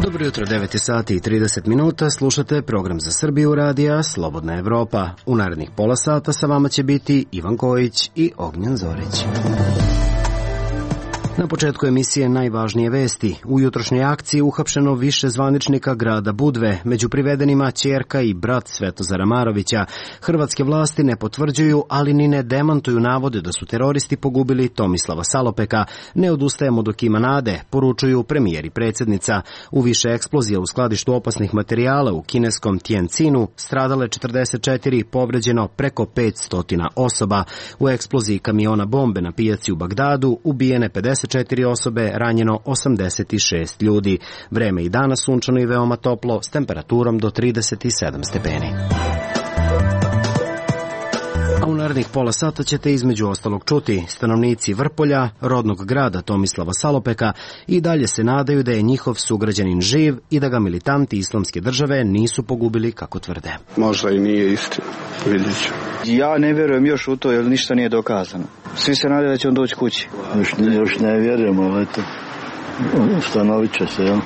Dobro jutro, 9 sati i 30 minuta, slušate program za Srbiju radija Slobodna Evropa. U narednih pola sata sa vama će biti Ivan Kojić i Ognjen Zorić. Na početku emisije najvažnije vesti. U jutrošnjoj akciji uhapšeno više zvaničnika grada Budve, među privedenima ćerka i brat Svetozara Marovića. Hrvatske vlasti ne potvrđuju, ali ni ne demantuju navode da su teroristi pogubili Tomislava Salopeka. Ne odustajemo dok ima nade, poručuju premijer i predsjednica. U više eksplozija u skladištu opasnih materijala u kineskom Tianjinu stradale 44, povređeno preko 500 osoba. U eksploziji kamiona bombe na pijaci u Bagdadu ubijene 54 osobe, ranjeno 86 ljudi. Vreme i danas sunčano i veoma toplo, s temperaturom do 37 stepeni. A u narednih pola sata ćete između ostalog čuti: stanovnici Vrpolja, rodnog grada Tomislava Salopeka, i dalje se nadaju da je njihov sugrađanin živ i da ga militanti Islamske države nisu pogubili kako tvrde. Možda i nije istina, vidjet ću. Ja ne vjerujem još u to jer ništa nije dokazano. Svi se nadaju da će on doći kući. Još ne vjerujem, ali eto, ustanovit će se, jel?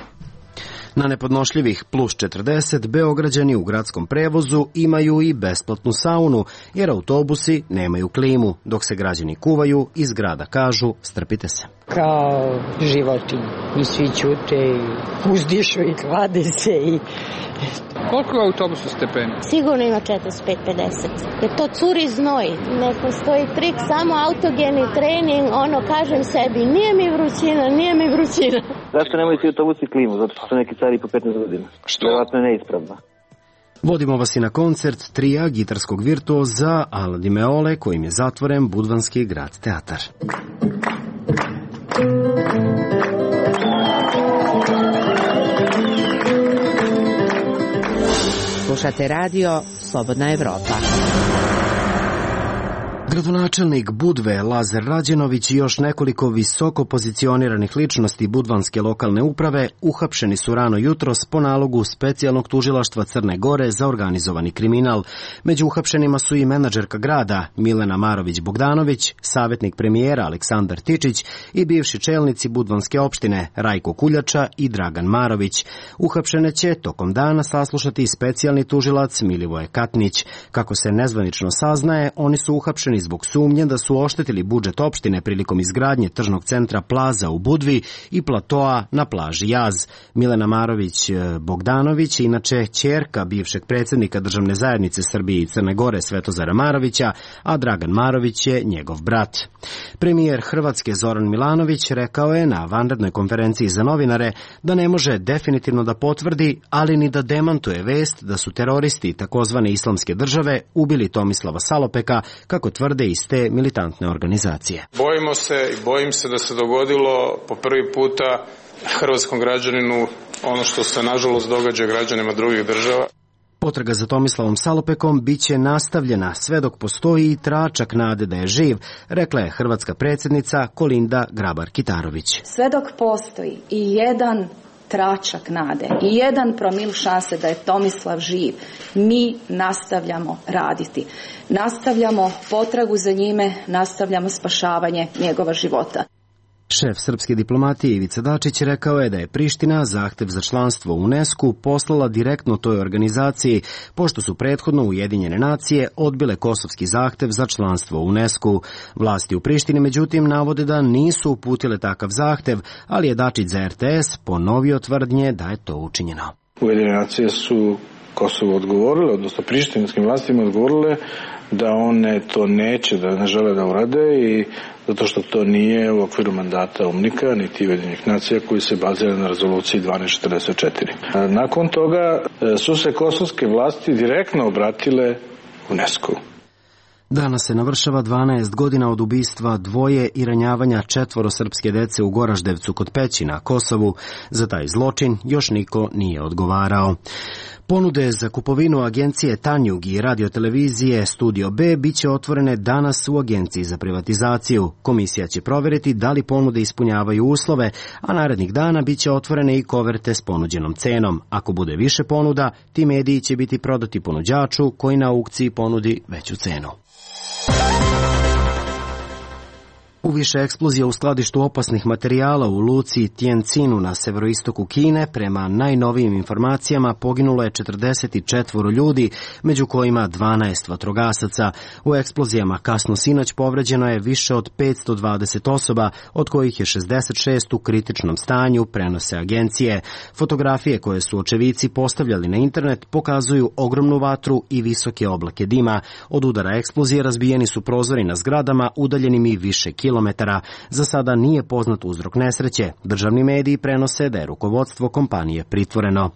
Na nepodnošljivih plus 40 Beograđani u gradskom prevozu imaju i besplatnu saunu, jer autobusi nemaju klimu. Dok se građani kuvaju, iz grada kažu: strpite se. Kao životinje. I svi ćute i uzdišu i klade se i... Koliko je autobusu stepeni? Sigurno ima 45-50. Jer to curi znoj. Ne postoji trik, samo autogeni trening. Kažem sebi, nije mi vrućina. Zašto nemaju ti autobusi klimu? Zato što su neki stari po 15 godina. Što? Vjerojatno je neispravno. Vodimo vas i na koncert trija gitarskog virtuoza Ala Di Meole, kojim je zatvoren Budvanski grad teatar. Slušate radio Slobodna Evropa. Gradonačelnik Budve Lazar Rađenović i još nekoliko visoko pozicioniranih ličnosti budvanske lokalne uprave uhapšeni su rano jutros po nalogu specijalnog tužilaštva Crne Gore za organizovani kriminal. Među uhapšenima su i menadžerka grada Milena Marović-Bogdanović, savjetnik premijera Aleksandar Tičić i bivši čelnici budvanske opštine Rajko Kuljača i Dragan Marović. Uhapšene će tokom dana saslušati specijalni tužilac Milivoje Katnić. Kako se nezvanično saznaje, oni su uhapšeni zbog sumnje da su oštetili budžet opštine prilikom izgradnje tržnog centra Plaza u Budvi i platoa na plaži Jaz. Milena Marović-Bogdanović je inače ćerka bivšeg predsjednika Državne zajednice Srbije i Crne Gore Svetozara Marovića, a Dragan Marović je njegov brat. Premijer Hrvatske Zoran Milanović rekao je na vanrednoj konferenciji za novinare da ne može definitivno da potvrdi, ali ni da demantuje vest da su teroristi takozvane Islamske države ubili Tomislava Salopeka, kako tvrde iz te militantne organizacije. Bojimo se i bojim se da se dogodilo po prvi puta hrvatskom građaninu ono što se nažalost događa građanima drugih država. Potraga za Tomislavom Salopekom biće nastavljena sve dok postoji i tračak nade da je živ, rekla je hrvatska predsjednica Kolinda Grabar-Kitarović. Sve dok postoji i jedan tračak nade i 1 promil šanse da je Tomislav živ, mi nastavljamo raditi. Nastavljamo potragu za njime, nastavljamo spašavanje njegova života. Šef srpske diplomatije Ivica Dačić rekao je da je Priština zahtev za članstvo u UNESCO poslala direktno toj organizaciji, pošto su prethodno Ujedinjene nacije odbile kosovski zahtev za članstvo u UNESCO. Vlasti u Prištini međutim navode da nisu uputile takav zahtev, ali je Dačić za RTS ponovio tvrdnje da je to učinjeno. Ujedinjene nacije su Kosovo odgovorile, odnosno prištinskim vlastima odgovorile da one to neće, da ne žele da urade, i zato što to nije u okviru mandata UNMIK-a niti Ujedinjenih nacija koji se bazira na rezoluciji 1244. Nakon toga su se kosovske vlasti direktno obratile UNESCO-u. Danas se navršava 12 godina od ubistva dvoje i ranjavanja 4 srpske dece u Goraždevcu kod Peći na Kosovu. Za taj zločin još niko nije odgovarao. Ponude za kupovinu agencije Tanjug i radiotelevizije Studio B biće otvorene danas u Agenciji za privatizaciju. Komisija će provjeriti da li ponude ispunjavaju uslove, a narednih dana biće otvorene i koverte s ponuđenom cenom. Ako bude više ponuda, ti mediji će biti prodati ponuđaču koji na aukciji ponudi veću cenu. U više eksplozija u skladištu opasnih materijala u luci Tientinu na severoistoku Kine, prema najnovijim informacijama poginulo je 44 ljudi, među kojima 12 vatrogasaca. U eksplozijama kasno sinoć povređeno je više od 520 osoba, od kojih je 66 u kritičnom stanju, prenose agencije. Fotografije koje su očevici postavljali na internet pokazuju ogromnu vatru i visoke oblake dima. Od udara eksplozije razbijeni su prozori na zgradama udaljenim i više kilometara. Za sada nije poznat uzrok nesreće. Državni mediji prenose da je rukovodstvo kompanije pritvoreno.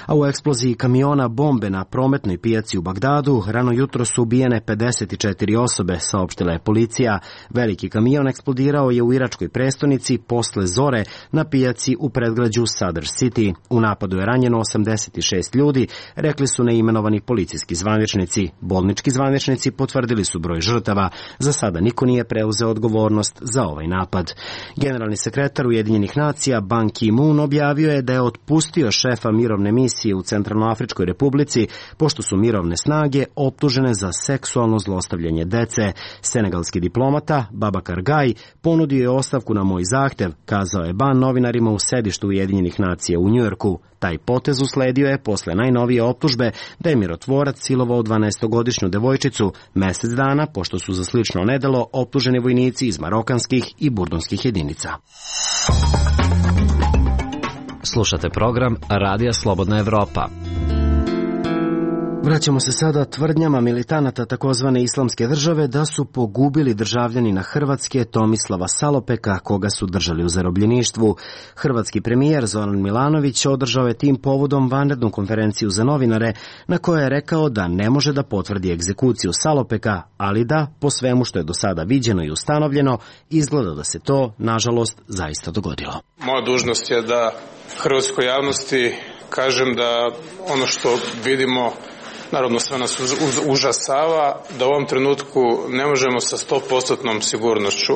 A u eksploziji kamiona bombe na prometnoj pijaci u Bagdadu rano jutro su ubijene 54 osobe, saopštila je policija. Veliki kamion eksplodirao je u iračkoj prestonici posle zore na pijaci u predgrađu Sadr City. U napadu je ranjeno 86 ljudi, rekli su neimenovani policijski zvaničnici. Bolnički zvaničnici potvrdili su broj žrtava. Za sada niko nije preuzeo odgovornost za ovaj napad. Generalni sekretar Ujedinjenih nacija Ban Ki-moon objavio je da je otpustio šefa mirovne misije u Centralnoafričkoj republici, pošto su mirovne snage optužene za seksualno zlostavljanje dece. Senegalski diplomata Babakar Gaye ponudio je ostavku na moj zahtev, kazao je Ban novinarima u sedištu Ujedinjenih nacija u Njujorku. Taj potez usledio je posle najnovije optužbe da je mirotvorac silovao 12-godišnju devojčicu mesec dana, pošto su za slično nedelo optuženi vojnici iz marokanskih i burdunskih jedinica. Slušate program Radija Slobodna Evropa. Vraćamo se sada tvrdnjama militanata takozvane Islamske države da su pogubili državljanina Hrvatske Tomislava Salopeka, koga su držali u zarobljeništvu. Hrvatski premijer Zoran Milanović održao je tim povodom vanrednu konferenciju za novinare, na kojoj je rekao da ne može da potvrdi egzekuciju Salopeka, ali da, po svemu što je do sada viđeno i ustanovljeno, izgleda da se to, nažalost, zaista dogodilo. Moja dužnost je da hrvatskoj javnosti kažem da ono što vidimo, naravno sve nas užasava, da u ovom trenutku ne možemo sa 100% sigurnošću,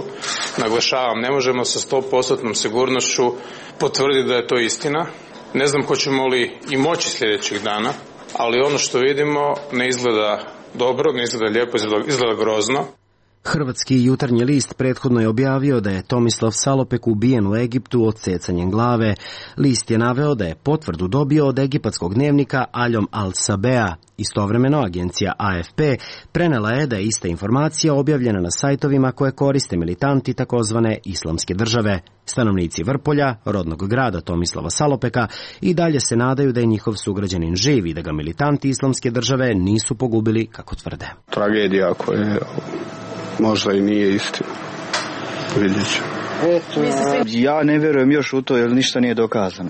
naglašavam, ne možemo sa 100% sigurnošću potvrditi da je to istina. Ne znam hoćemo li i moći sljedećih dana, ali ono što vidimo ne izgleda dobro, ne izgleda lijepo, izgleda grozno. Hrvatski jutarnji list prethodno je objavio da je Tomislav Salopek ubijen u Egiptu odsecanjem glave. List je naveo da je potvrdu dobio od egipatskog dnevnika Aljom Al-Sabea. Istovremeno agencija AFP prenela je da je ista informacija objavljena na sajtovima koje koriste militanti takozvane Islamske države. Stanovnici Vrpolja, rodnog grada Tomislava Salopeka, i dalje se nadaju da je njihov sugrađanin živ i da ga militanti Islamske države nisu pogubili, kako tvrde. Tragedija koja možda i nije istina. Vidjet ću. Ja ne vjerujem još u to jer ništa nije dokazano.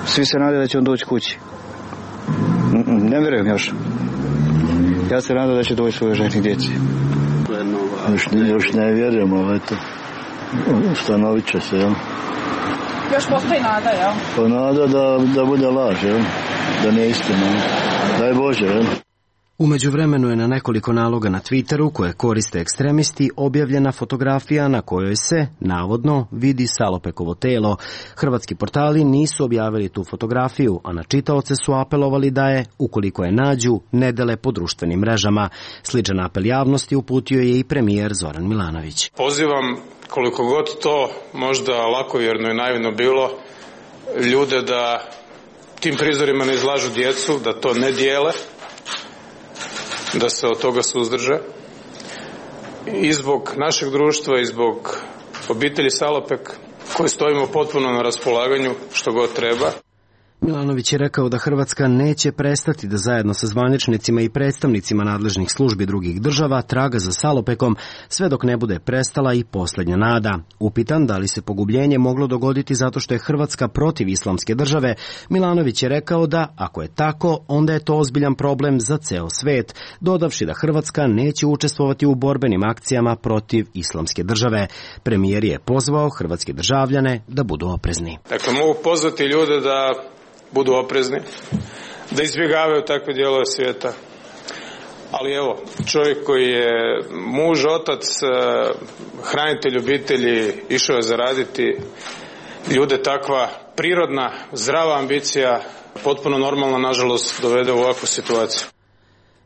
Svi se nadaju da će on doći kući. Ne vjerujem još. Ja se nadam da će doći svoje ženi djeci. Još ne vjerujem, ali eto, ustanovit će se, jel? Još postoji nada, jel? Pa nada da bude laž, jel? Da nije istina. Daj Bože, jel? U međuvremenu je na nekoliko naloga na Twitteru, koje koriste ekstremisti, objavljena fotografija na kojoj se, navodno, vidi Salopekovo telo. Hrvatski portali nisu objavili tu fotografiju, a na čitaoce su apelovali da je, ukoliko je nađu, ne dele po društvenim mrežama. Sličan apel javnosti uputio je i premijer Zoran Milanović. Pozivam, koliko god to možda lakovjerno i naivno bilo, ljude da tim prizorima ne izlažu djecu, da to ne dijele, da se od toga suzdrže. I zbog našeg društva i zbog obitelji Salopek, koji stojimo potpuno na raspolaganju što god treba. Milanović je rekao da Hrvatska neće prestati da zajedno sa zvaničnicima i predstavnicima nadležnih službi drugih država traga za Salopekom sve dok ne bude prestala i posljednja nada. Upitan da li se pogubljenje moglo dogoditi zato što je Hrvatska protiv islamske države, Milanović je rekao da, ako je tako, onda je to ozbiljan problem za ceo svet, dodavši da Hrvatska neće učestvovati u borbenim akcijama protiv islamske države. Premijer je pozvao hrvatske državljane da budu oprezni. Dakle, mogu pozvati ljude da budu oprezni, da izbjegavaju takve dijelove svijeta. Ali evo, čovjek koji je muž, otac, hranitelj obitelji, išao je zaraditi, ljude takva prirodna, zdrava ambicija, potpuno normalna, nažalost, dovede u ovakvu situaciju.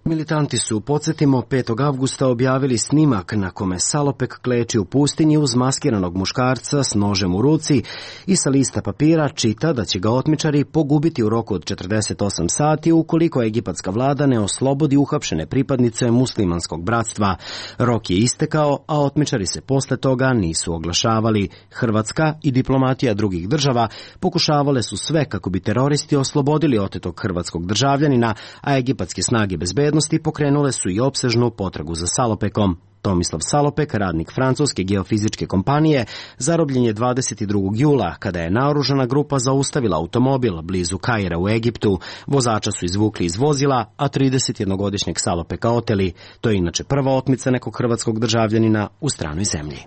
Militanti su, podsjetimo, 5. avgusta objavili snimak na kome Salopek kleči u pustinji uz maskiranog muškarca s nožem u ruci i sa lista papira čita da će ga otmičari pogubiti u roku od 48 sati ukoliko egipatska vlada ne oslobodi uhapšene pripadnice muslimanskog bratstva. Rok je istekao, a otmičari se posle toga nisu oglašavali. Hrvatska i diplomatija drugih država pokušavale su sve kako bi teroristi oslobodili otetog hrvatskog državljanina, a egipatske snage bezbednosti pokrenule su i opsežnu potragu za Salopekom. Tomislav Salopek, radnik francuske geofizičke kompanije, zarobljen je 22. jula, kada je naoružana grupa zaustavila automobil blizu Kaira u Egiptu. Vozača su izvukli iz vozila, a 31-godišnjeg Salopeka oteli. To je inače prva otmica nekog hrvatskog državljanina u stranoj zemlji.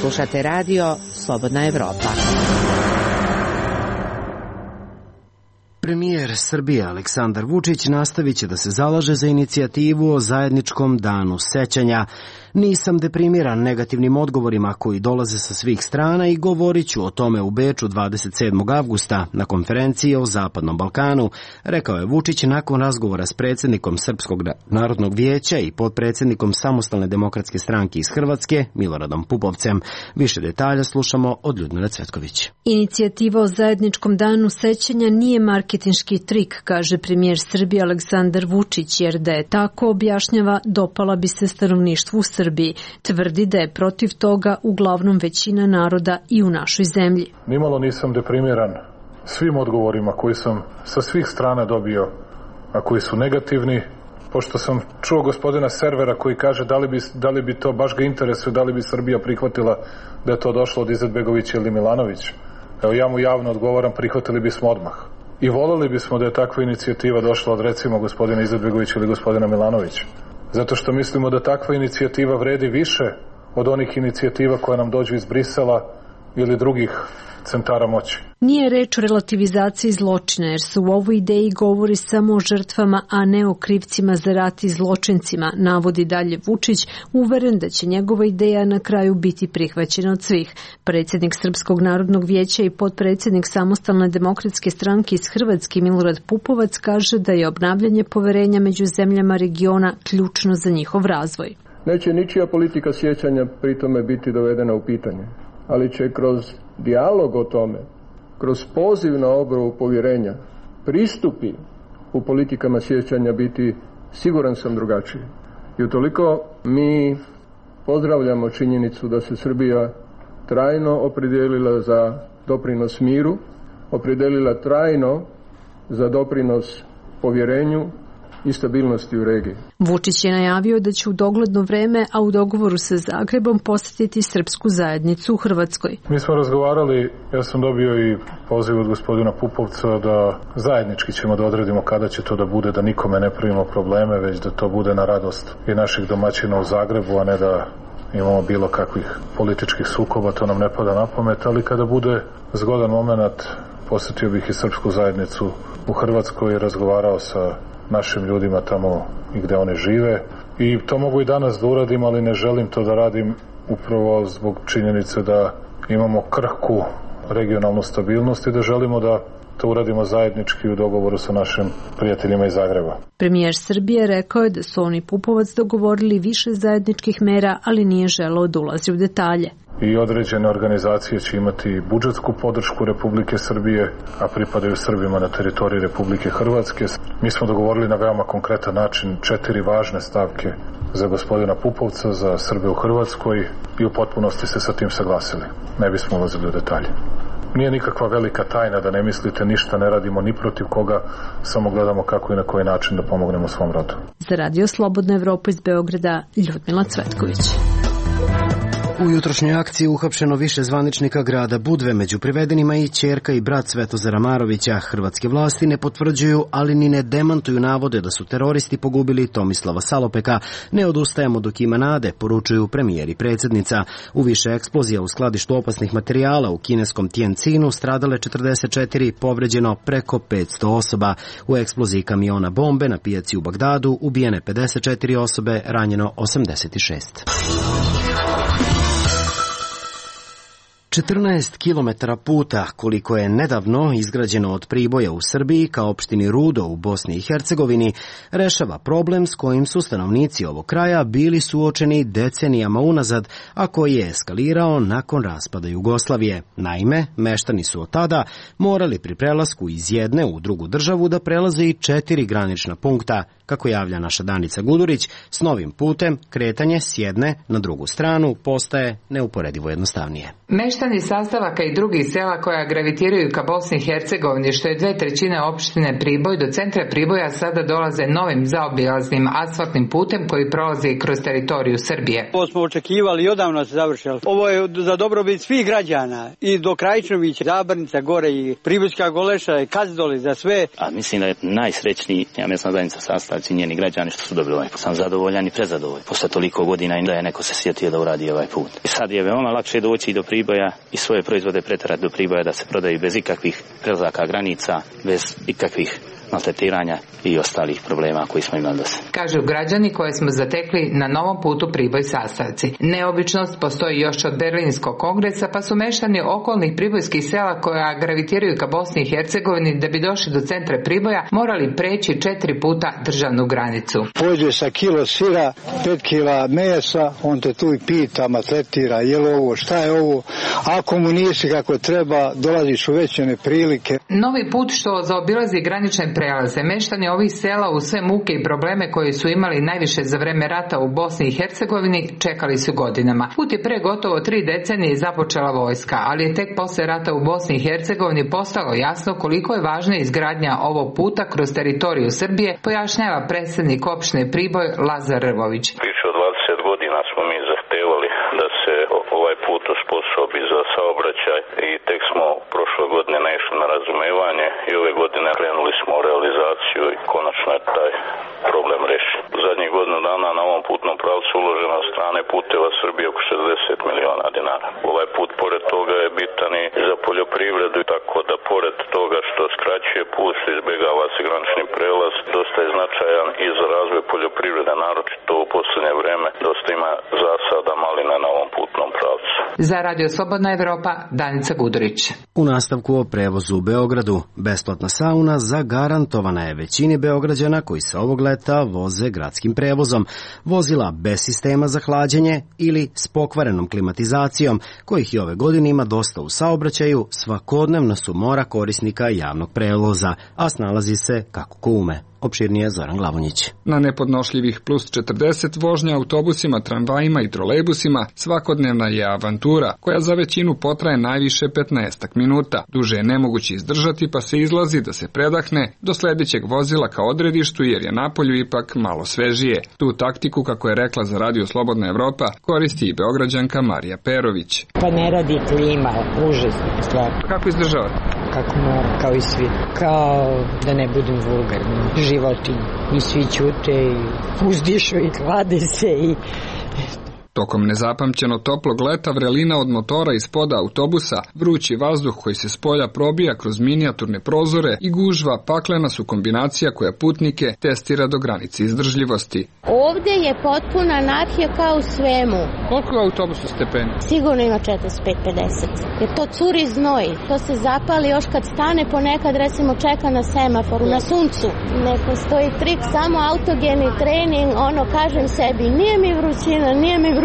Slušate radio Slobodna Evropa. Premijer Srbije Aleksandar Vučić nastavit će da se zalaže za inicijativu o zajedničkom danu sećanja. Nisam deprimiran negativnim odgovorima koji dolaze sa svih strana i govorit ću o tome u Beču 27. avgusta na konferenciji o Zapadnom Balkanu, rekao je Vučić nakon razgovora s predsjednikom Srpskog narodnog vijeća i potpredsjednikom Samostalne demokratske stranke iz Hrvatske, Miloradom Pupovcem. Više detalja slušamo od Ljudmile Cvetković. Inicijativa o zajedničkom danu sećanja nije marketinški trik, kaže premijer Srbije Aleksandar Vučić, jer da je tako, objašnjava, dopala bi se stanovništvu Srbiji. Tvrdi da je protiv toga uglavnom većina naroda i u našoj zemlji. Nimalo nisam deprimiran svim odgovorima koji sam sa svih strana dobio, a koji su negativni, pošto sam čuo gospodina Servera koji kaže da li bi to baš ga interesuje, da li bi Srbija prihvatila da je to došlo od Izetbegovića ili Milanovića. Evo, ja mu javno odgovaram, prihvatili bismo odmah. I voleli bismo da je takva inicijativa došla od, recimo, gospodina Izetbegovića ili gospodina Milanovića. Zato što mislimo da takva inicijativa vredi više od onih inicijativa koje nam dođu iz Brisela ili drugih centara moći. Nije reč o relativizaciji zločina, jer se u ovoj ideji govori samo o žrtvama, a ne o krivcima za rat i zločincima, navodi dalje Vučić, uveren da će njegova ideja na kraju biti prihvaćena od svih. Predsjednik Srpskog narodnog vijeća i potpredsjednik Samostalne demokratske stranke iz Hrvatske, Milorad Pupovac, kaže da je obnavljanje poverenja među zemljama regiona ključno za njihov razvoj. Neće ničija politika sjećanja pritome biti dovedena u pitanje, ali će kroz dijalog o tome, kroz poziv na obnovu povjerenja, pristupi u politikama sjećanja biti, siguran sam, drugačiji. I utoliko mi pozdravljamo činjenicu da se Srbija trajno opredijelila za doprinos miru, opredijelila trajno za doprinos povjerenju i stabilnosti u regiji. Vučić je najavio da će u dogledno vreme, a u dogovoru sa Zagrebom, posjetiti srpsku zajednicu u Hrvatskoj. Mi smo razgovarali, ja sam dobio i poziv od gospodina Pupovca da zajednički ćemo da odredimo kada će to da bude, da nikome ne pravimo probleme, već da to bude na radost i naših domaćina u Zagrebu, a ne da imamo bilo kakvih političkih sukoba, to nam ne pada na pamet, ali kada bude zgodan moment, posjetio bih i srpsku zajednicu u Hrvatskoj i razgovarao sa našim ljudima tamo i gde one žive. I to mogu i danas da uradim, ali ne želim to da radim upravo zbog činjenice da imamo krhku regionalnu stabilnost i da želimo da to uradimo zajednički u dogovoru sa našim prijateljima iz Zagreba. Premijer Srbije rekao je da su oni Pupovac dogovorili više zajedničkih mera, ali nije želeo da ulazi u detalje. I određene organizacije će imati budžetsku podršku Republike Srbije, a pripadaju Srbima na teritoriji Republike Hrvatske. Mi smo dogovorili na veoma konkretan način 4 važne stavke za gospodina Pupovca, za Srbe u Hrvatskoj i u potpunosti se sa tim saglasili. Ne bismo ulazili u detalje. Nije nikakva velika tajna da ne mislite, ništa ne radimo ni protiv koga, samo gledamo kako i na koji način da pomognemo svom rodu. Za Radio Slobodna Evropa iz Beograda, Ljudmila Cvetković. U jutrošnjoj akciji uhapšeno više zvaničnika grada Budve, među privedenima i ćerka i brat Svetozara Marovića. Hrvatske vlasti ne potvrđuju, ali ni ne demantuju navode da su teroristi pogubili Tomislava Salopeka. Ne odustajemo dok ima nade, poručuju premijer i predsjednica. U više eksplozija u skladištu opasnih materijala u kineskom Tianjinu stradale 44, povređeno preko 500 osoba. U eksploziji kamiona bombe na pijaci u Bagdadu ubijene 54 osobe, ranjeno 86. 14 kilometara puta, koliko je nedavno izgrađeno od Priboja u Srbiji ka opštini Rudo u Bosni i Hercegovini, rešava problem s kojim su stanovnici ovog kraja bili suočeni decenijama unazad, a koji je eskalirao nakon raspada Jugoslavije. Naime, meštani su od tada morali pri prelasku iz jedne u drugu državu da prelaze i 4 granična punkta. Kako javlja naša Danica Gudurić, s novim putem kretanje s jedne na drugu stranu postaje neuporedivo jednostavnije. Meštani sastavaka i drugih sela koja gravitiraju ka Bosni i Hercegovini, što je 2/3 opštine Priboj, do centra Priboja sada dolaze novim zaobilaznim asfaltnim putem koji prolazi kroz teritoriju Srbije. Ovo smo očekivali i odavno se završilo. Ovo je za dobrobit svih građana i do Krajičnovića, Zabrnica gore i Pribojska Goleša i Kazdoli za sve. A mislim da je najsrećniji mesna zajednica sastavci njeni građani što su dobili ovaj put. Sam zadovoljan i prezadovoljan. Posle toliko godina i da je neko se sjetio da uradi ovaj put. I sad je veoma lakše doći do Priboja i svoje proizvode preterati do Priboja da se prodaju bez ikakvih prelazaka granica, bez ikakvih maltretiranja i ostalih problema koji smo imali do sada. Kažu građani koje smo zatekli na novom putu Priboj sastavci. Neobičnost postoji još od Berlinskog kongresa, pa su meštani okolnih pribojskih sela koja gravitiraju ka Bosni i Hercegovini da bi došli do centra Priboja morali preći 4 puta državnu granicu. Pođe sa kilo sira, 5 kila mesa, on te tu i pita, maltretira, je li ovo, šta je ovo, ako mu nisi kako treba, dolaziš u veće neprilike. Novi put što zaobilazi granične prelaze, meštani ovih sela u sve muke i probleme koje su imali najviše za vreme rata u Bosni i Hercegovini čekali su godinama. Put je pre gotovo 3 decenije započela vojska, ali je tek posle rata u Bosni i Hercegovini postalo jasno koliko je važna izgradnja ovog puta kroz teritoriju Srbije, pojašnjava predsjednik opštine Priboj Lazar Rvović. Više od 20 godina smo mi zahtevali da se ovaj put osposobi za saobraćaj i tek smo prošle godine naišli na razumevanje i ove godine krenuli smo u realizaciju i konačno je taj problem rešen. U zadnjih godinu dana na ovom putnom pravcu uloženo od strane Puteva Srbije oko 60 miliona dinara. Ovaj put pored toga je bitan i za poljoprivredu, tako da pored toga što skraćuje put, izbjegava se granični prelaz, dosta je značajan i za razvoj poljoprivrede, naročito u posljednje vreme dosta ima zasada malina na ovom putnom pravcu. Za Radio Slobodna Evropa, Danica Gudurić. U nastavku o prevozu u Beogradu, besplatna sauna zagarantovana je većini Beograđana koji se ovog leta voze gradskim prevozom. Vozila bez sistema za hlađenje ili s pokvarenom klimatizacijom, kojih i ove godine ima dosta u saobraćaju, svakodnevno su mora korisnika javnog prevoza, a snalazi se kako ko ume. Opširnije Zoran Glavonjić. Na nepodnošljivih plus 40 vožnja autobusima, tramvajima i trolejbusima svakodnevna je avantura koja za većinu potraje najviše 15 minuta. Duže je nemoguće izdržati pa se izlazi da se predahne do sljedećeg vozila ka odredištu jer je napolju ipak malo svežije. Tu taktiku, kako je rekla za Radio Slobodna Evropa, koristi i Beograđanka Marija Perović. Pa ne radi klima, užasna stvar. Kako izdržavate? Kako mora, kao i svi. Kao da ne budem vulgarni. Životinje. I svi ćute i uzdišu i klade se i... Tokom nezapamćeno toplog leta vrelina od motora ispoda autobusa, vrući vazduh koji se s polja probija kroz minijaturne prozore i gužva paklena su kombinacija koja putnike testira do granice izdržljivosti. Ovdje je potpuna anarhija kao u svemu. Koliko je autobusu stepeni? Sigurno ima 45-50. Jer to curi znoj. To se zapali još kad stane, ponekad recimo čeka na semaforu, na suncu. Ne postoji trik, samo autogeni trening, kažem sebi, nije mi vrućina, nije mi vrućina.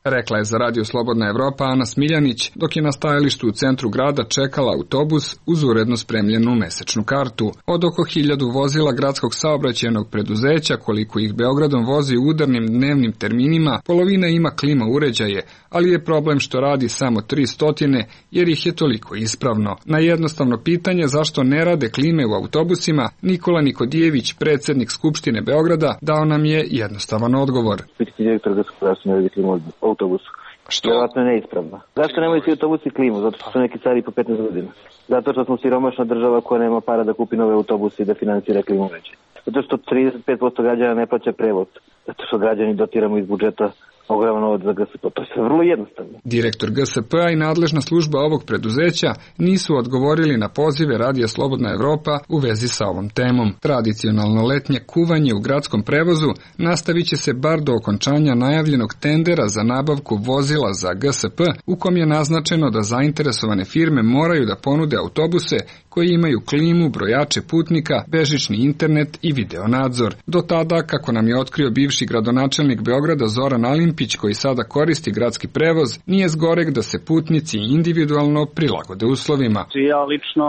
rekla je za Radio Slobodna Evropa Ana Smiljanić, dok je na stajalištu u centru grada čekala autobus uz uredno spremljenu mesečnu kartu. Od oko 1000 vozila gradskog saobraćajnog preduzeća, koliko ih Beogradom vozi u udarnim dnevnim terminima, polovina ima klima uređaje, ali je problem što radi samo 300 jer ih je toliko ispravno. Na jednostavno pitanje zašto ne rade klime u autobusima, Nikola Nikodijević, predsjednik Skupštine Beograda, dao nam je jednostavan odgovor. Pitati direktor zašto ne radi klimu u autobusu. Što? Vjerojatno je neispravna. Zašto nemaju svi autobusi klimu? Zato što su neki stari po 15 godina. Zato što smo siromašna država koja nema para da kupi nove autobuse i da financira klimu veće. Zato što 35% građana ne plaća prevoz. Zato što građani dotiramo iz budžeta ogroman novac za GSP. To je sve vrlo jednostavno. Direktor GSP-a i nadležna služba ovog preduzeća nisu odgovorili na pozive Radija Slobodna Evropa u vezi sa ovom temom. Tradicionalno letnje kuvanje u gradskom prevozu nastavit će se bar do okončanja najavljenog tendera za nabavku vozila za GSP, u kom je naznačeno da zainteresovane firme moraju da ponude autobuse koji imaju klimu, brojače putnika, bežični internet i videonadzor. Do tada, kako nam je otkrio bivši gradonačelnik Beograda Zoran Alimpić, koji sada koristi gradski prevoz, nije zgoreg da se putnici individualno prilagode uslovima. Ja lično,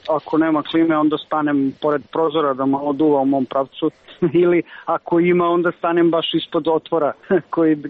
ako nema klime, onda stanem pored prozora da malo duva u mom pravcu, ili ako ima, onda stanem baš ispod otvora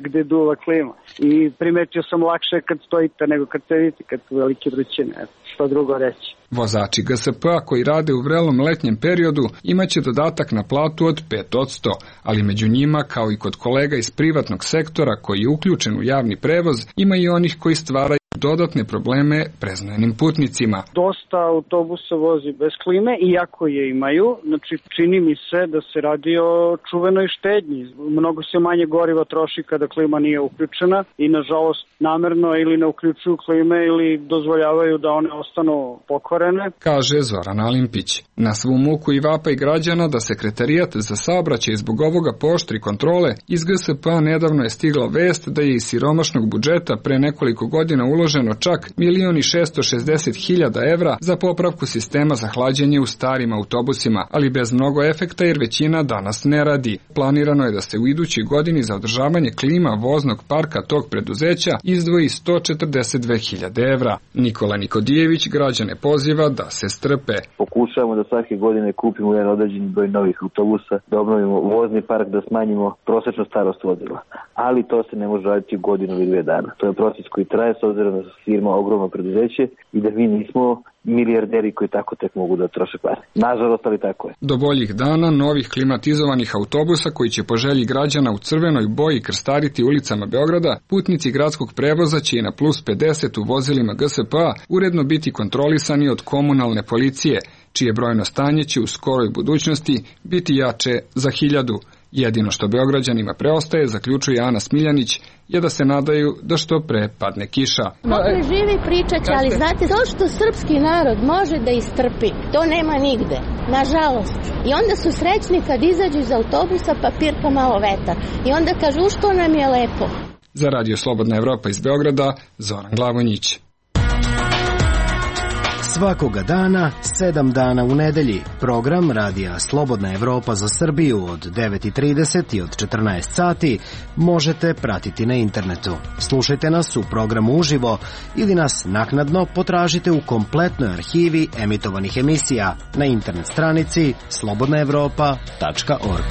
gde duva klima. I primetio sam lakše kad stojite nego kad sedite, kad su velike vrućine. Što drugo reći. Vozači GSP-a koji rade u vrelom letnjem periodu imaće dodatak na platu od 5%, ali među njima, kao i kod kolega iz privatnog sektora koji je uključen u javni prevoz, ima i onih koji stvaraju dodatne probleme preznojenim putnicima. Dosta autobusa vozi bez klime, iako je imaju. Znači, čini mi se da se radi o čuvenoj štednji. Mnogo se manje goriva troši kada klima nije uključena i, nažalost, namerno ili ne uključuju klime ili dozvoljavaju da one ostanu pokvarene, kaže Zoran Alimpić. Na svu muku i vapaj građana da Sekretarijat za saobraćaj zbog ovoga pooštri kontrole, iz GSP-a nedavno je stigla vest da je iz siromašnog budžeta pre nekoliko godina uloženo čak 1.660.000 evra za popravku sistema za hlađenje u starim autobusima, ali bez mnogo efekta jer većina danas ne radi. Planirano je da se u idućoj godini za održavanje klima voznog parka tog preduzeća izdvoji 142.000 evra. Nikola Nikodijević građane poziva da se strpe. Pokušavamo da svake godine kupimo jedan određeni broj novih autobusa, da obnovimo vozni park, da smanjimo prosečnu starost vozila. Ali to se ne može raditi u godinu ili 2 dana. To je proces koji traje s obzirom da su firma ogromno preduzeće i da mi nismo milijarderi koji tako tek mogu da troše pare. Nažalost, ali tako je. Do boljih dana novih klimatizovanih autobusa koji će po želji građana u crvenoj boji krstariti ulicama Beograda, putnici gradskog prevoza će i na plus 50 u vozilima GSP-a uredno biti kontrolisani od komunalne policije, čije brojno stanje će u skoroj budućnosti biti jače za 1000. Jedino što Beograđanima preostaje, zaključuje Ana Smiljanić, je da se nadaju da što pre padne kiša. Mogli živi pričać, ali znate, to što srpski narod može da istrpi, to nema nigde, nažalost. I onda su srećni kad izađu iz autobusa pa pirka malo vetar. I onda kažu što nam je lepo. Za Radio Slobodna Evropa iz Beograda, Zoran Glavonjić. Svakoga dana, 7 dana u nedelji, program Radija Slobodna Evropa za Srbiju od 9:30 i od 14 sati možete pratiti na internetu. Slušajte nas u programu uživo ili nas naknadno potražite u kompletnoj arhivi emitovanih emisija na internet stranici slobodnaevropa.org.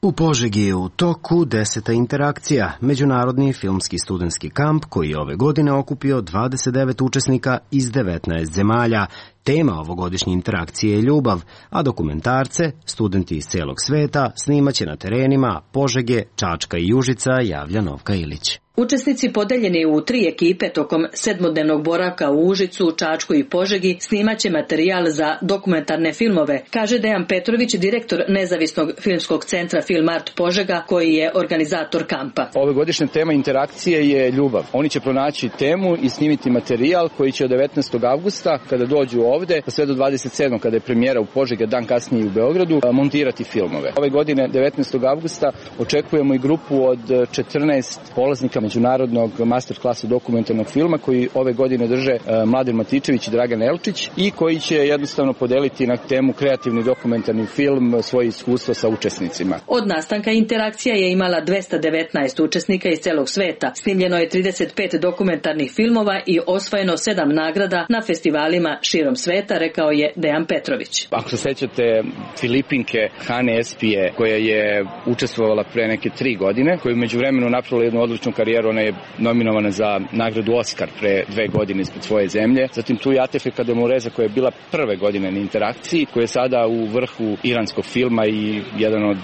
U Požegi je u toku 10. interakcija, međunarodni filmski studentski kamp koji je ove godine okupio 29 učesnika iz 19 zemalja. Tema ovogodišnje interakcije je ljubav, a dokumentarce studenti iz celog sveta snimaće na terenima Požege, Čačka i Užica, javlja Novka Ilić. Učesnici podeljeni u 3 ekipe tokom 7-dnevnog boravka u Užicu, Čačku i Požegi snimaće materijal za dokumentarne filmove, kaže Dejan Petrović, direktor nezavisnog filmskog centra Film Art Požega, koji je organizator kampa. Ove godišnja tema interakcije je ljubav. Oni će pronaći temu i snimiti materijal koji će od 19. avgusta, kada dođu ovde, pa sve do 27. kada je premijera u Požegi, dan kasnije u Beogradu, montirati filmove. Ove godine, 19. avgusta, očekujemo i grupu od 14 polaznika međunarodnog master klasa dokumentarnog filma koji ove godine drže Mladen Matičević i Dragan Elčić i koji će jednostavno podeliti na temu kreativni dokumentarni film svoje iskustva sa učesnicima. Od nastanka interakcija je imala 219 učesnika iz celog sveta. Snimljeno je 35 dokumentarnih filmova i osvojeno 7 nagrada na festivalima širom sveta, rekao je Dejan Petrović. Ako se sećate Filipinke Hane Espije, koja je učestvovala pre neke 3 godine, koja je među vremenu napravila jednu odličnu karijeru, ona je nominovana za nagradu Oskar pre 2 godine ispred svoje zemlje. Zatim tu je Atefika Demureza koja je bila prve godine na interakciji, koja je sada u vrhu iranskog filma i jedan od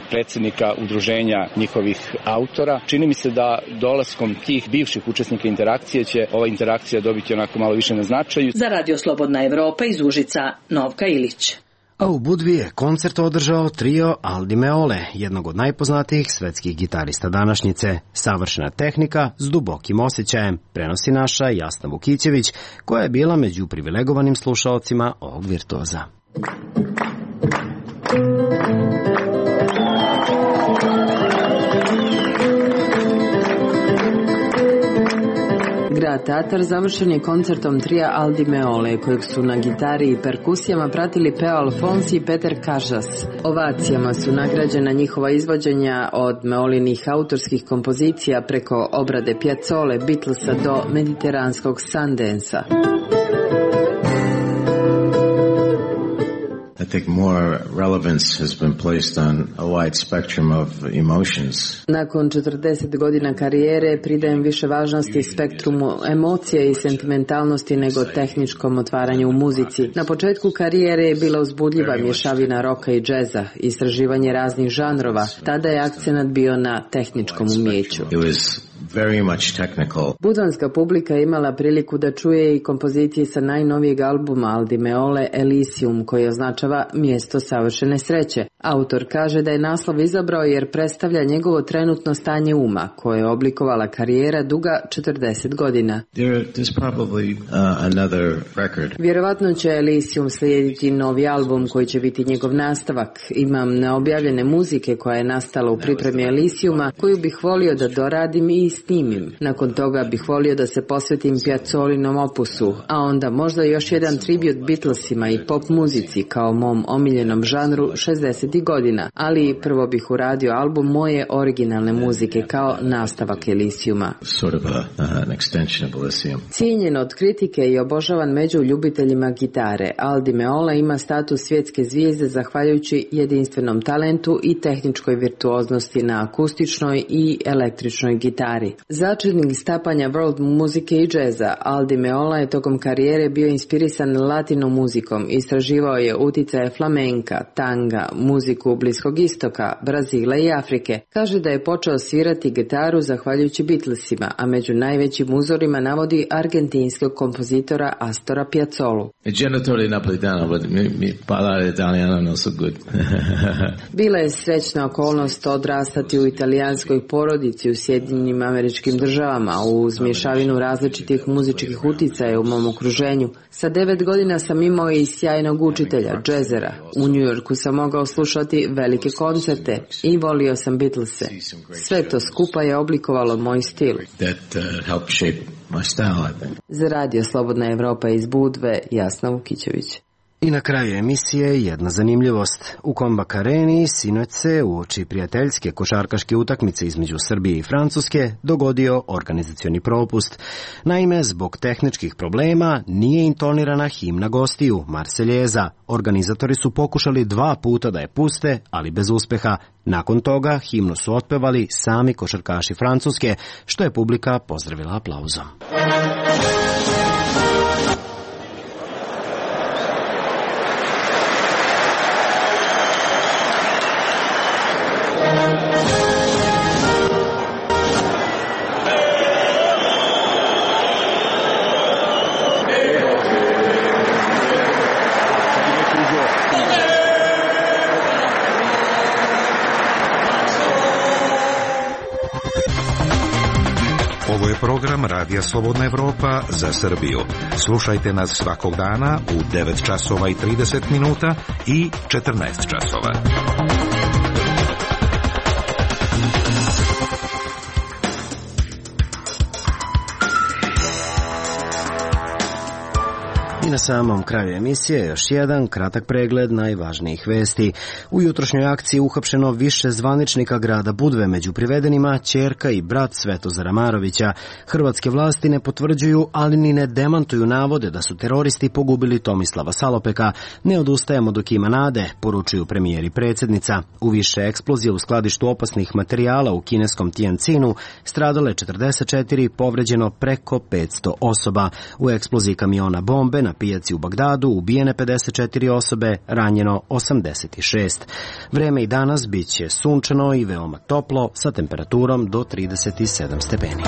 predsednika udruženja njihovih autora. Čini mi se da dolaskom tih bivših učesnika interakcije će ova interakcija dobiti onako malo više na značaju. Za Radio Slobodna Evropa iz Užica, Novka Ilić. A u Budvi je koncert održao trio Aldi Meole, jednog od najpoznatijih svetskih gitarista današnjice. Savršena tehnika s dubokim osjećajem, prenosi naša Jasna Vukićević, koja je bila među privilegovanim slušaocima ovog virtuoza. Grad Tatar završen je koncertom trija Aldi Meole, kojeg su na gitari i perkusijama pratili Peo Alfonsi i Peter Kažas. Ovacijama su nagrađena njihova izvođenja od Meolinih autorskih kompozicija preko obrade Piazzole, Beatlesa do mediteranskog Sundansa. I think more relevance has been placed on a wide spectrum of emotions. Nakon 40 godina karijere pridajem više važnosti spektrumu emocije i sentimentalnosti nego tehničkom otvaranju u muzici. Na početku karijere je bila uzbudljiva mješavina roka i džeza, istraživanje raznih žanrova. Tada je akcenat bio na tehničkom umjeću. Very much technical. Budvanska publika je imala priliku da čuje i kompozicije sa najnovijeg albuma Aldi Meole Elysium, koji označava mjesto savršene sreće. Autor kaže da je naslov izabrao jer predstavlja njegovo trenutno stanje uma, koje je oblikovala karijera duga 40 godina. There's probably another record. Vjerovatno će Elysium slijediti novi album koji će biti njegov nastavak. Imam neobjavljene muzike koja je nastala u pripremi Elysiuma, koju bih volio da doradim i snimim. Nakon toga bih volio da se posvetim Piazzolinom opusu, a onda možda još jedan tribut Beatlesima i pop muzici kao mom omiljenom žanru 60. godina, ali prvo bih uradio album moje originalne muzike kao nastavak Elysiuma. Sort of an extension of Elysium. Cijenjen od kritike i obožavan među ljubiteljima gitare, Aldi Meola ima status svjetske zvijezde zahvaljujući jedinstvenom talentu i tehničkoj virtuoznosti na akustičnoj i električnoj gitari. Začetnik stapanja world muzike i džeza, Aldi Meola je tokom karijere bio inspirisan latino muzikom, istraživao je uticaje flamenka, tanga, muziku Bliskog istoka, Brazila i Afrike. Kaže da je počeo svirati gitaru zahvaljujući Beatlesima, a među najvećim uzorima navodi argentinskog kompozitora Astora Piazzolu. Genitore napolitano, but mi parlare italiano non so good. Bila je srećna okolnost odrastati u italijanskoj porodici u Sjedinjenim Američkim Državama uz mješavinu različitih muzičkih uticaja u mom okruženju. Sa 9 godina sam imao i sjajnog učitelja, džezera. U New Yorku sam mogao slušati velike koncerte i volio sam Beatlese. Sve to skupa je oblikovalo moj stil. Za Radio Slobodna Evropa iz Budve, Jasna Vukićević. I na kraju emisije jedna zanimljivost. U Kombak Areni sinoć se uoči prijateljske košarkaške utakmice između Srbije i Francuske dogodio organizacioni propust. Naime, zbog tehničkih problema nije intonirana himna gostiju, Marseljeza. Organizatori su pokušali 2 puta da je puste, ali bez uspeha. Nakon toga himnu su otpevali sami košarkaši Francuske, što je publika pozdravila aplauzom. Ovo je program Radija Slobodna Evropa za Srbiju. Slušajte nas svakog dana u 9 časova i 30 minuta i 14 časova. na samom kraju emisije još jedan kratak pregled najvažnijih vesti. U jutrošnjoj akciji uhapšeno više zvaničnika grada Budve, među privedenima ćerka i brat Svetozara Marovića. Hrvatske vlasti ne potvrđuju, ali ni ne demantuju navode da su teroristi pogubili Tomislava Salopeka. Ne odustajemo dok ima nade, poručuju premijer i predsjednica. U više eksplozija u skladištu opasnih materijala u kineskom Tianjinu stradale 44, povređeno preko 500 osoba. U eksploziji kamiona bombe na pijaci u Bagdadu ubijene 54 osobe, ranjeno 86. Vreme i danas bit će sunčano i veoma toplo sa temperaturom do 37 stepeni.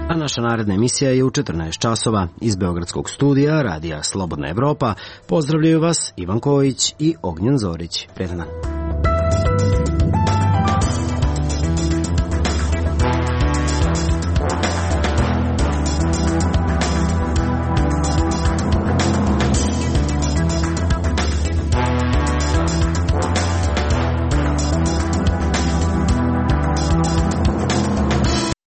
A naša naredna emisija je u 14 časova. Iz Beogradskog studija Radija Slobodna Evropa pozdravljaju vas Ivan Kojić i Ognjen Zorić. Prijetan dan.